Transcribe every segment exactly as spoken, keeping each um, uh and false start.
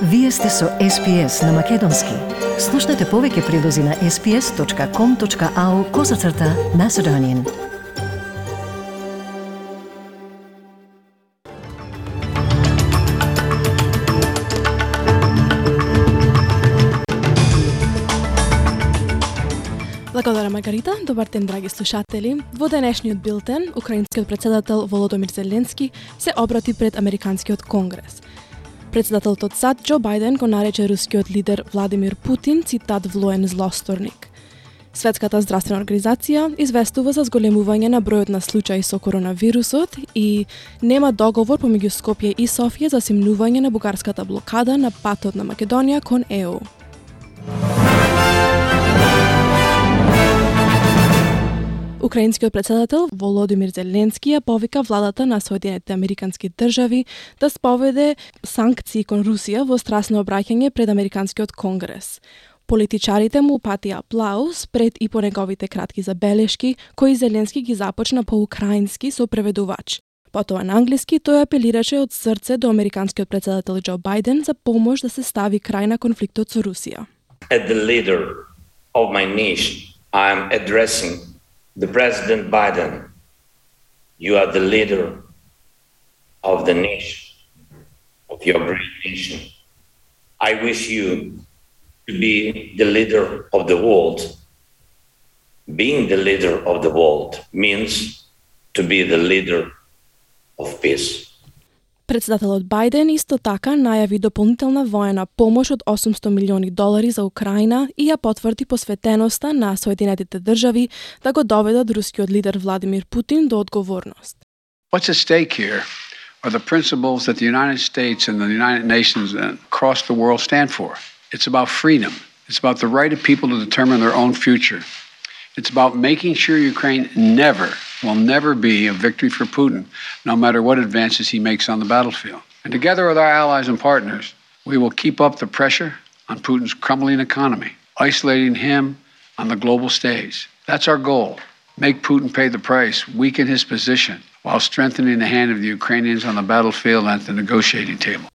Вие сте со Ес Пи Ес на Македонски. Слушнете повеќе прилози на ес пи ес точка ком точка ау козацрта Macedonian. Благодарам, Маргарита. Добар ден, драги слушатели. Во денешниот билтен, украинскиот председател Володомир Зеленски се обрати пред Американскиот конгрес. Председателот од САД Џо Бајден го нарече рускиот лидер Владимир Путин, цитат, влоен злосторник. Светската здравствена организација известува за зголемување на бројот на случаи со коронавирусот и нема договор помеѓу Скопје и Софија за симнување на бугарската блокада на патот на Македонија кон Е У. Украинскиот председател Володимир Зеленски ја повика владата на Соединетите Американски држави да споведе санкции кон Русија во страсно обраќање пред Американскиот конгрес. Политичарите му упатија аплауз пред и по неговите кратки забелешки, кои Зеленски ги започна по украински со преведувач. Потоа на англиски тој апелираше од срце до американскиот председател Џо Бајден за помош да се стави крај на конфликтот со Русија. At the leader of my nation, I am addressing the President Biden. You are the leader of the nation, of your great nation. I wish you to be the leader of the world. Being the leader of the world means to be the leader of peace. Председателот Бајден исто така најави дополнителна воена помош од осумсто милиони долари за Украина и ја потврди посветеноста на Соединетите држави да го доведат рускиот лидер Владимир Путин до одговорност. What's at stake here are the principles that the United States and the United Nations across the world stand for. It's about freedom. It's about the right of people to determine their own future. It's about making sure Ukraine never, will never be a victory for Putin, no matter what advances he makes on the battlefield. And together with our allies and partners, we will keep up the pressure on Putin's crumbling economy, isolating him on the global stage. That's our goal. Make Putin pay the price, weaken his position, while strengthening the hand of the Ukrainians on the battlefield and at the negotiating table.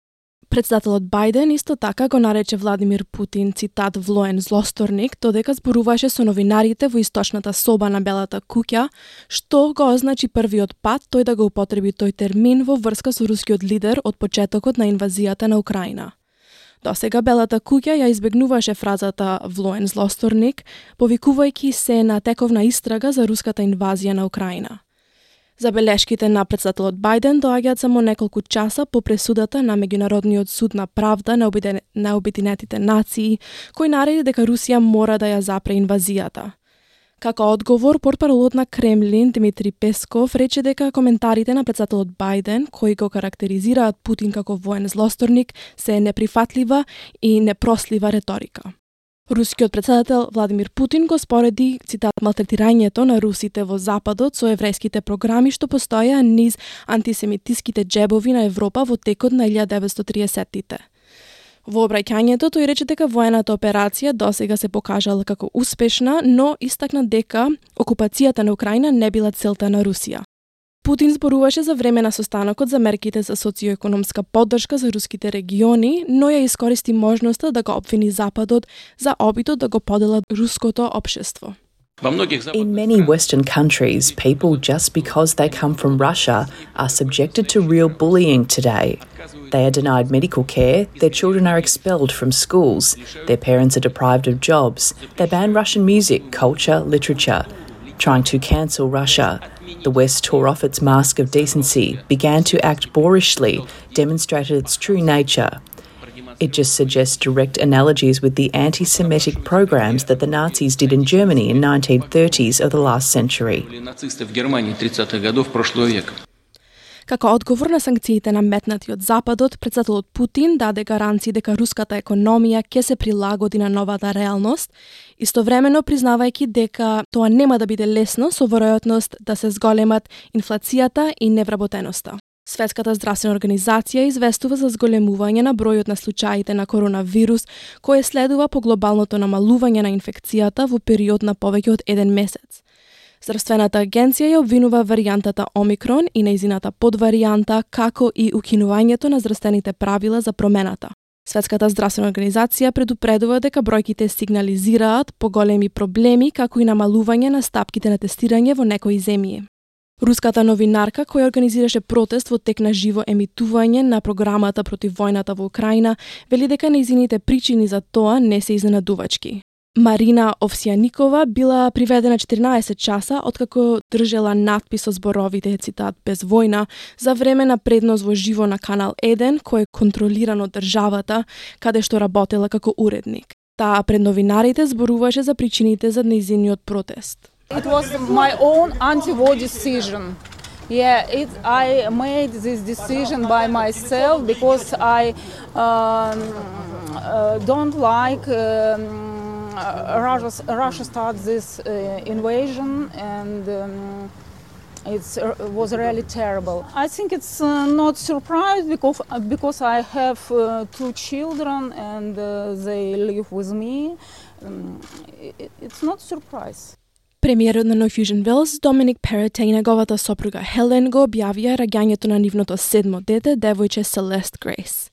Председателот Бајден исто така го нарече Владимир Путин, цитат, влоен злосторник, додека зборуваше со новинарите во источната соба на Белата куќа, што го означи првиот пат тој да го употреби тој термин во врска со рускиот лидер од почетокот на инвазијата на Украина. Досега Белата куќа ја избегнуваше фразата влоен злосторник, повикувајќи се на тековна истрага за руската инвазија на Украина. Забелешките на председателот Бајден доаѓаат само неколку часа по пресудата на Меѓународниот суд на правда на, обиден... на Обединетите нации, кој нареди дека Русија мора да ја запре инвазијата. Како одговор, портпаролот на Кремлин Дмитри Песков рече дека коментарите на председателот Бајден, кои го карактеризираат Путин како воен злосторник, се неприфатлива и непрослива реторика. Рускиот председател Владимир Путин го спореди, цитат, малтретирањето на русите во Западот со еврејските програми што постоја низ антисемитиските џебови на Европа во текот на илјада деветстотини триесеттите. Во обраќањето тој рече дека воената операција досега се покажала како успешна, но истакна дека окупацијата на Украина не била целта на Русија. Путин зборуваше за време на состанокот за мерките за социоекономска поддршка за руските региони, но ја искористи можноста да го обвини Западот за обидот да го поделат руското општество. In many Western countries, people just because they come from Russia are subjected to real bullying today. They are denied medical care, their children are expelled from schools, their parents are deprived of jobs, they ban Russian music, culture, literature. Trying to cancel Russia, the West tore off its mask of decency, began to act boorishly, demonstrated its true nature. It just suggests direct analogies with the anti-Semitic programs that the Nazis did in Germany in nineteen thirties of the last century. Како одговор на санкциите наметнати од Западот, председателот Путин даде гаранции дека руската економија ќе се прилагоди на новата реалност, истовремено признавајќи дека тоа нема да биде лесно со веројатност да се зголемат инфлацијата и невработеноста. Светската здравствена организација известува за зголемување на бројот на случаите на коронавирус, кој следува по глобалното намалување на инфекцијата во период на повеќе од еден месец. Здравствената агенција ја обвинува варијантата Омикрон и нејзината подваријанта, како и укинувањето на здравствените правила за промената. Светската здравствена организација предупредува дека бројките сигнализираат поголеми проблеми како и намалување на стапките на тестирање во некои земји. Руската новинарка, која организираше протест во тек на живо емитување на програмата против војната во Украина, вели дека нејзините причини за тоа не се изненадувачки. Марина Овсјаникова била приведена четирнаесет часа откако држела надпис со зборовите, цитат, без војна, за време на преднос во живо на Канал еден, кој е контролиран од државата, каде што работела како уредник. Таа пред новинарите зборуваше за причините за нејзиниот протест. It was my own anti-war decision. Yeah, it, I made this decision by myself because I um, uh, don't like um, Russia, Russia started this uh, invasion and um, it uh, was really terrible. I think it's uh, not surprise because because I have uh, two children and uh, they live with me. Um, it, it's not surprise. Премиерот на No Fusion Wells, Dominic Perrottet и неговата сопруга Хелен го објавија раѓањето на нивното седмо дете, девојче Celeste Grace.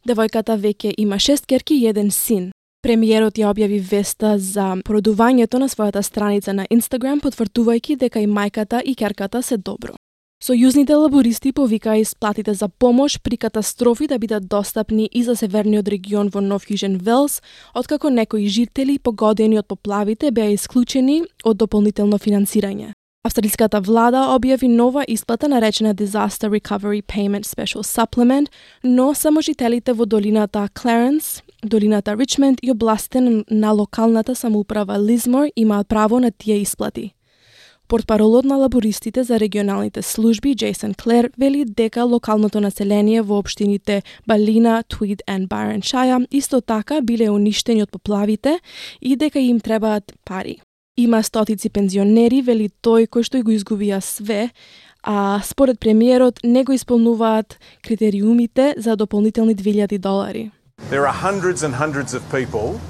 Девојката веќе има шест ќерки и еден син. Премиерот ја објави веста за породувањето на својата страница на Инстаграм, потврдувајќи дека и мајката и ќерката се добро. Сојузните лабористи повикаа исплатите за помош при катастрофи да бидат достапни и за северниот регион во No Fusion Wells, откако некои жители погодени од поплавите беа исклучени од дополнително финансирање. Австралиската влада објави нова исплата наречена Disaster Recovery Payment Special Supplement, но само жителите во долината Clarence, долината Ричмонд и областите на локалната самоуправа Лизмор имаат право на тие исплати. Портпаролот на лабористите за регионалните служби, Джейсон Клер, вели дека локалното население во општините Балина, Твид и Байроншаја исто така биле уништени од поплавите и дека им требаат пари. Има стотици пензионери, вели тој, кој што го изгубија све, а според премиерот не го исполнуваат критериумите за дополнителни две илјади долари. There are hundreds and hundreds of people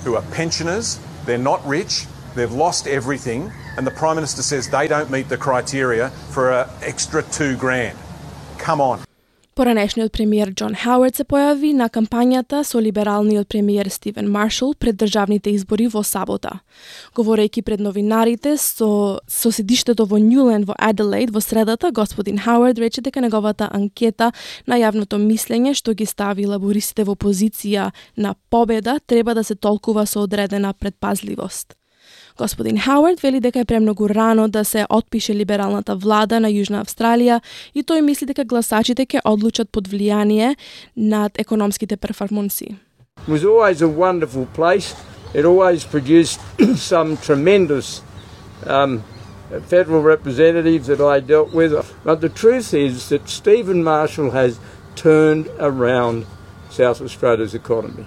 who are pensioners, they're not rich, they've lost everything, and the Prime Minister says they don't meet the criteria for an extra two grand. Come on. Поранешниот премиер Џон Хауард се појави на кампањата со либералниот премиер Стивен Маршал пред државните избори во сабота. Говорејќи пред новинарите со, со седиштето во Нјулен во Аделаид во средата, господин Хауард рече дека неговата анкета на јавното мислење што ги стави лабористите во позиција на победа треба да се толкува со одредена предпазливост. Господин Хауард вели дека е премногу рано да се отпише либералната влада на Јужна Австралија и тој мисли дека гласачите ќе одлучат под влијание над економските перформанси. It was always a wonderful place. It always produced some tremendous um, federal representatives that I dealt with. But the truth is that Stephen Marshall has turned around South Australia's economy.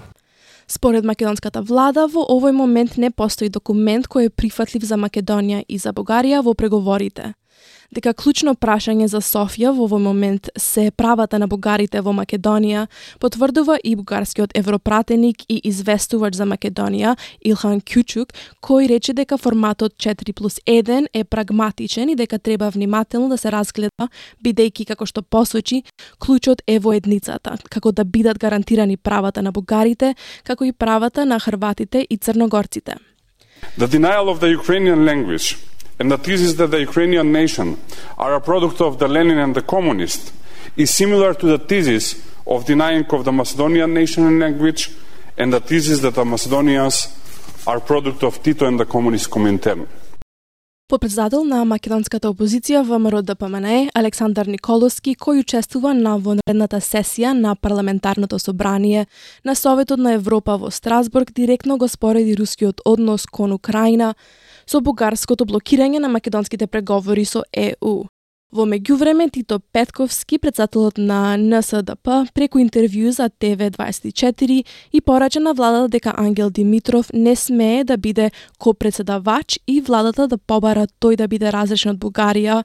Според македонската влада, во овој момент не постои документ кој е прифатлив за Македонија и за Бугарија во преговорите. Дека клучно прашање за Софија во овој момент се правата на бугарите во Македонија, потврдува и бугарскиот европратеник и известувач за Македонија Илхан Кјучук, кој рече дека форматот четири плюс еден е прагматичен и дека треба внимателно да се разгледа, бидејќи, како што посочи, клучот е во едницата, како да бидат гарантирани правата на бугарите, како и правата на хрватите и црногорците. The denial of the Ukrainian language and the thesis that the Ukrainian nation are a product of the Lenin and the communists is similar to the thesis of denying of the Macedonian nation and language and the thesis that the Macedonians are product of Tito and the communist Comintern. Подпредседател на македонската опозиција ВМРО Д П М Н Е Александар Николовски, кој учествува на вонредната сесија на парламентарното собрание на Советот на Европа во Страсбург, директно го спореди рускиот однос кон Украина со бугарското блокирање на македонските преговори со Е У. Во меѓувреме, Тито Петковски, председателот на Н С Д П, преку интервју за Т В дваесет и четири и порача на владата дека Ангел Димитров не смее да биде копредседавач и владата да побара тој да биде разрешен од Бугарија,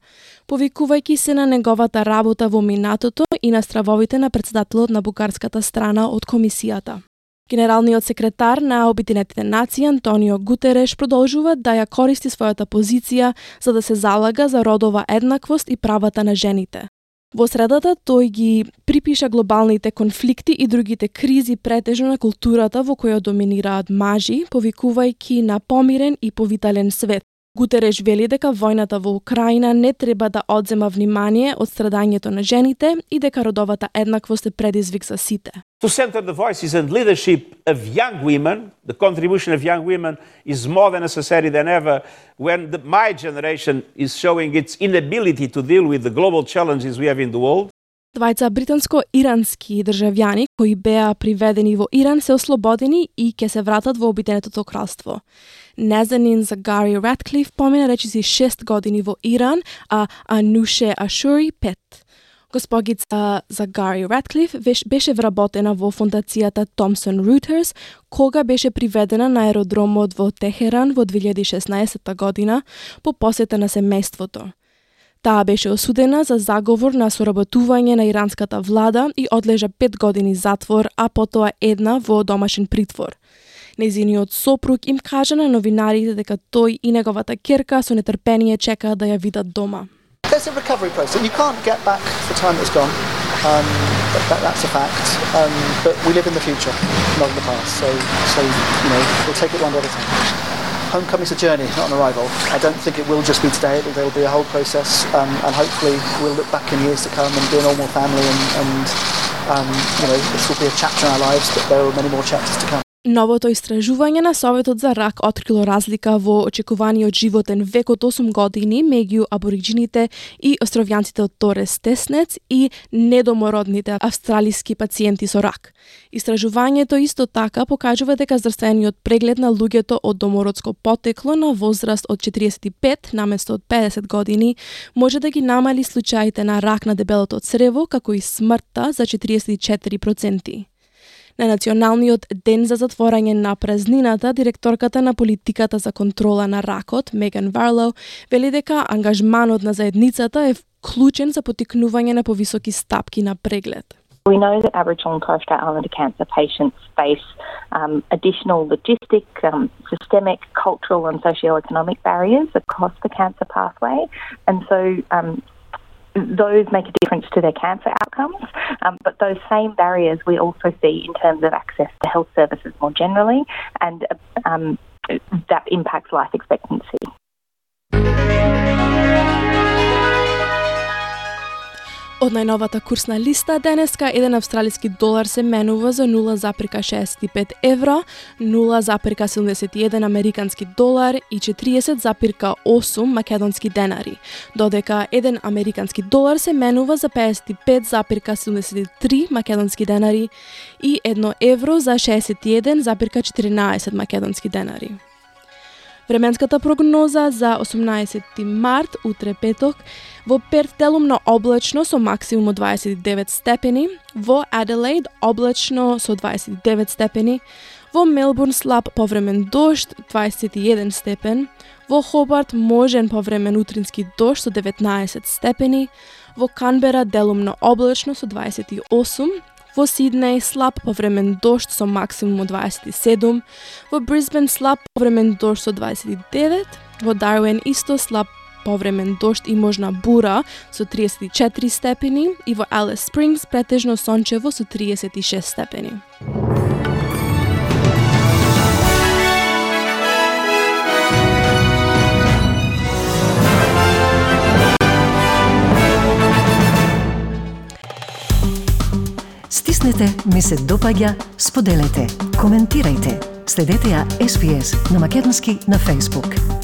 повикувајќи се на неговата работа во минатото и на стравовите на председателот на бугарската страна од комисијата. Генералниот секретар на Обединетите нации Антонио Гутереш продолжува да ја користи својата позиција за да се залага за родова еднаквост и правата на жените. Во средата тој ги припиша глобалните конфликти и другите кризи претежно на културата во која доминираат мажи, повикувајќи на помирен и повитален свет. Гутереш вели дека војната во Украина не треба да одзема внимание од страдањето на жените и дека родовата еднаквост е предизвик за сите. To center the voices and leadership of young women, the contribution of young women is more than necessary than ever when the, my generation is showing its inability to deal with the global challenges we have in the world. Двајца британско-ирански државјани кои беа приведени во Иран се ослободени и ќе се вратат во Обединетото кралство. Назанин Загари Ратклиф помина речиси шест години во Иран, а Ануше Ашури пет. Госпогица Загари Ратклиф беше вработена во фондацијата Thomson Reuters кога беше приведена на аеродромот во Техеран во две илјади и шеснаесетта година по посета на семејството. Таа беше осудена за заговор на соработување на иранската влада и одлежа пет години затвор, а потоа една во домашен притвор. Нејзиниот сопруг им кажа на новинарите дека тој и неговата ќерка со нетрпение чекаат да ја видат дома. There's a recovery process. You can't get back the time that's gone. Um, that, that, that's a fact. Um, but we live in the future, not in the past. So, so you know, we'll take it one day at a time. Homecoming's a journey, not an arrival. I don't think it will just be today. There will be a whole process, um, and hopefully we'll look back in years to come and be a normal family, and, and um, you know, this will be a chapter in our lives, but there are many more chapters to come. Новото истражување на Советот за рак открило разлика во очекуваниот животен век од осум години меѓу абориджините и островјанците од Торес Теснец и недомородните австралиски пациенти со рак. Истражувањето исто така покажува дека здравствениот преглед на луѓето од домородско потекло на возраст од четириесет и пет наместо од педесет години може да ги намали случаите на рак на дебелото црево, како и смртта за четириесет и четири проценти. На Националниот ден за затворање на празнината, директорката на политиката за контрола на ракот, Меган Варлоу, вели дека ангажманот на заедницата е вклучен за поттикнување на повисоки стапки на преглед. We know that Aboriginal and Torres Strait Islander cancer patients face um, additional logistic, um, systemic, cultural and socio-economic barriers across the cancer pathway, and so um, those make a difference to their cancer outcomes, um, but those same barriers we also see in terms of access to health services more generally, and um, that impacts life expectancy. Од најновата курсна листа денеска еден австралиски долар се менува за нула запирка шеесет и пет евра, нула запирка седумдесет и еден американски долар и четириесет запирка осум македонски денари, додека еден американски долар се менува за педесет и пет запирка седумдесет и три македонски денари и едно евро за шеесет и еден запирка четиринаесет македонски денари. Временската прогноза за осумнаесети март, утре петок, во Перт делумно облачно со максимум од дваесет и девет степени, во Аделаид облачно со дваесет и девет степени, во Мелбурн слаб повремен дожд дваесет и еден степен, во Хобарт можен повремен утрински дожд со деветнаесет степени, во Канбера делумно облачно со дваесет и осум, во Сиднеј слаб повремен дожд со максимум од дваесет и седум, во Брисбен слаб повремен дожд со дваесет и девет, во Дарвин исто слаб повремен дожд и можна бура со триесет и четири степени и во Алис Спрингс претежно сончево со триесет и шест степени. Стиснете, ми се допаѓа, споделете, коментирајте. Следете ја Ес Би Ес на македонски на Facebook.